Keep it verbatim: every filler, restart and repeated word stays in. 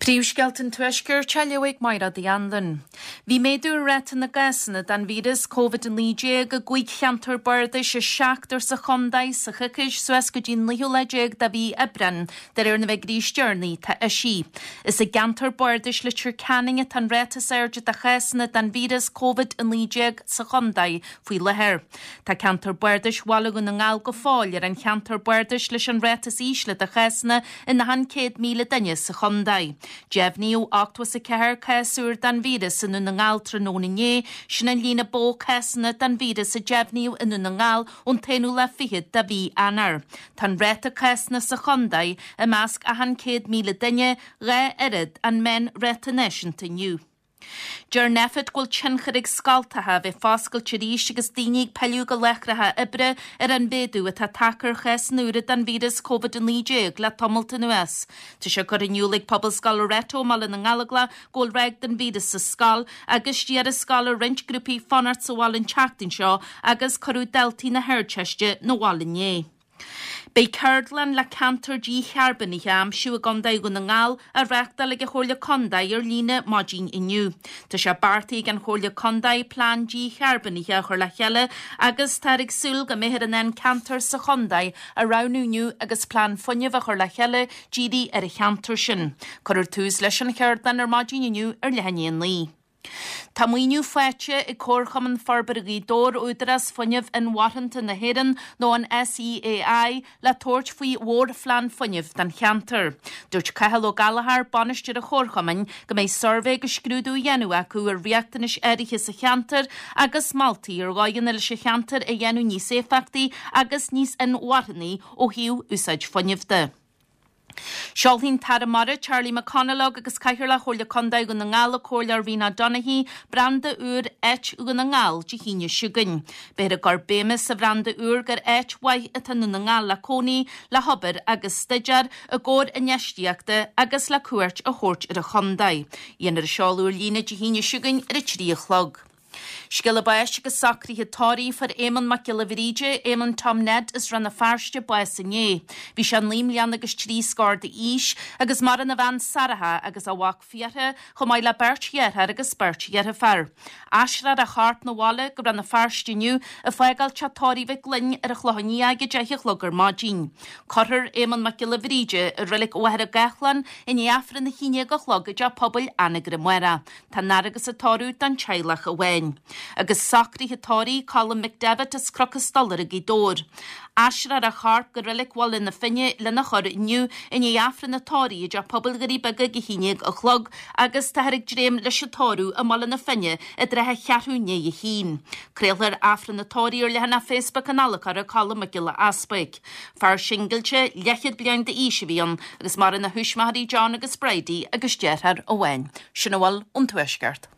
Príomhscéalta an Tuaiscirt á léamh ag Máire Uí Anluain. Bhí méadú ar ráta na gcásanna den víreas Covid a naoi déag i gcúig cheantar bardais as seachtar sa chontae sa choicís suas go dtí an naoú lá déag de mhí Aibreáin, de réir na bhfigiúirí is deireanaí atá eisithe. Is i gceantar bardais Leitir Ceanainn atá an ráta is airde de chásanna den víreas Covid a naoi déag sa chontae faoi láthair. Tá ceantar bardais Bhaile Dhún na nGall go fóill ar an cheantar bardais leis an ráta is ísle de chásanna in achan céad míle duine sa chontae. Deimhníodh ochtó is a ceathair cás úr den víreas i nDún na nGall tráthnóna inné, sin an líon ba mhó cásanna den víreas a deimhníodh i nDún na nGall ón t-aonú lá fichead de mhí Eanáir. Tá an ráta cásanna sa chontae i measc achan céad míle duine dhá oiread an meánráta náisiúnta inniu. Deir Nphet go bhfuil tionchar ag scoltacha a bheith foscailte arís agus daoine ag pilleadh go láithreacha oibre ar an mhéadú atá tagtha ar chásanna úra den víreas Covid a naoi déag le tamalt anuas. Tá sé curtha in iúl ag Pobalscoil Loreto i mBaile na nGallóglach go bhfuil ráig den víreas sa scoil agus d'iarr an scoil ar roinnt grúpaí fanacht sa bhaile an tseachtain seo agus cuireadh daltaí na hArdteiste 'na bhaile inné. Beidh ceardlann le ceantar dícharbónaithe a aimsiú i gContae Dhún na nGall á reáchtáil ag an Chomhairle Contae ar líne maidin inniu. Tá sé beartaithe ag an Chomhairle Contae plean dícharbónaithe a chur le chéile agus táthar ag súil go mbeifear in ann ceantar sa chontae a roghnú inniu agus plean fuinnimh a chur le chéile dírithe ar an cheantar sin. Cuirfear tús leis an cheardlann ar maidin inniu ar leath i ndiaidh a naoi. Tá maoiniú faighte ag Comharchumann Forbartha Ghaoth Dobhair Údarás Fuinnimh Inmharthanta na hÉireann nó an SEAI le tabhairt faoi mhórphlean fuinnimh don cheantar. Dúirt Cathal Ó Gallchóir, bainisteoir an Chomharchumainn, go mbeidh suirbhé agus scrúdú á dhéanamh acu ar riachtanais áirithe sa cheantar agus moltaí ar dhóigheanna leis an cheantar a dhéanamh níos éifeachtaí agus níos inmharthanaí ó thaobh úsáid fuinnimh de. Seolfaidh an tAire Mara Charlie McConalogue agus Cathaoirleach Chomhairle Contae Dhún na nGall an Comhairleoir Rena Donaghey branda úr Áit Dhún na nGall Dé hAoine seo chugainn. Beifear ag cur béime sa bhranda úr gur áit mhaith atá i nDún na nGall le cónaí, le hobair agus staidéar i gcomhair infheistíochta agus le cuairt a thabhairt ar an chontae. Dhéanfar an seoladh ar líne Dé hAoine seo chugainn ar a trí a chlog. Scéala báis agus socruithe tórraimh fuair Éamonn Mac Giolla Bhríde, Éamonn Tom Ned as Rann na Feirste bás inné. Bhí sé naoi mbliana agus trí scór d'aois agus maireann a bhean Sarah agus a mhac Fiachra chomh maith le beirt dheartháir agus beirt dheirfiúr. Aistreofar a chorp 'na bhaile go Rann na Feirste inniu ag fágáil teach tórraimh Mhic Gloinn ar an Chlochán Liath ag a deich a chlog ar maidin. Cuirfear Éamonn Mac Giolla Bhríde i reilig Mhachaire Gathlán i ndiaidh Aifreann a haon déag a chlog i dteach pobail Anagaire amárach. Tá an fhaire agus an tórramh don teaghlach amháin. Agus socruithe tórraimh Colm McDevitt as Cnoc an Stolaire Gaoth Dobhair. Aistreofar a chorp go reilig Bhaile na Finne lena chur inniu i ndiaidh Aifreann an tórraimh i dteach pobail Dhoirí Beaga ag a haon déag a chlog agus táthar ag dréim leis an tórramh i mBaile na Finne i dtrátha cheathrú i ndiaidh a haon. Craolfar Aifreann an tórraimh ar leathanach Facebook an adhlacóra Colm Mac Giolla Easpaig. Fear singilte leathchéad bliain d'aois a bhí ann agus maireann a thuismitheoirí John agus Bridie agus deartháir amháin. Sin a bhfuil ón Tuaisceart.